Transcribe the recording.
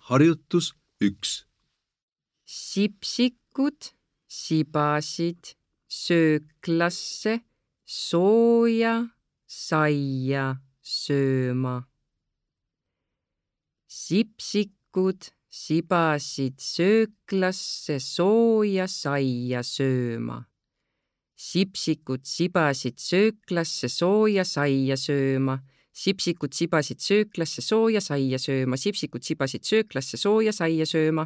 Harjutus 1. Sipsikud sibasid sööklasse sooja saia sööma. Sipsikud sibasid sööklasse sooja saia sööma. Sipsikud sibasid sööklasse sooja saia sööma. Sipsikud sibasid sööklasse sooja saia sööma. Sipsikud sibasid sööklasse sooja saia sööma.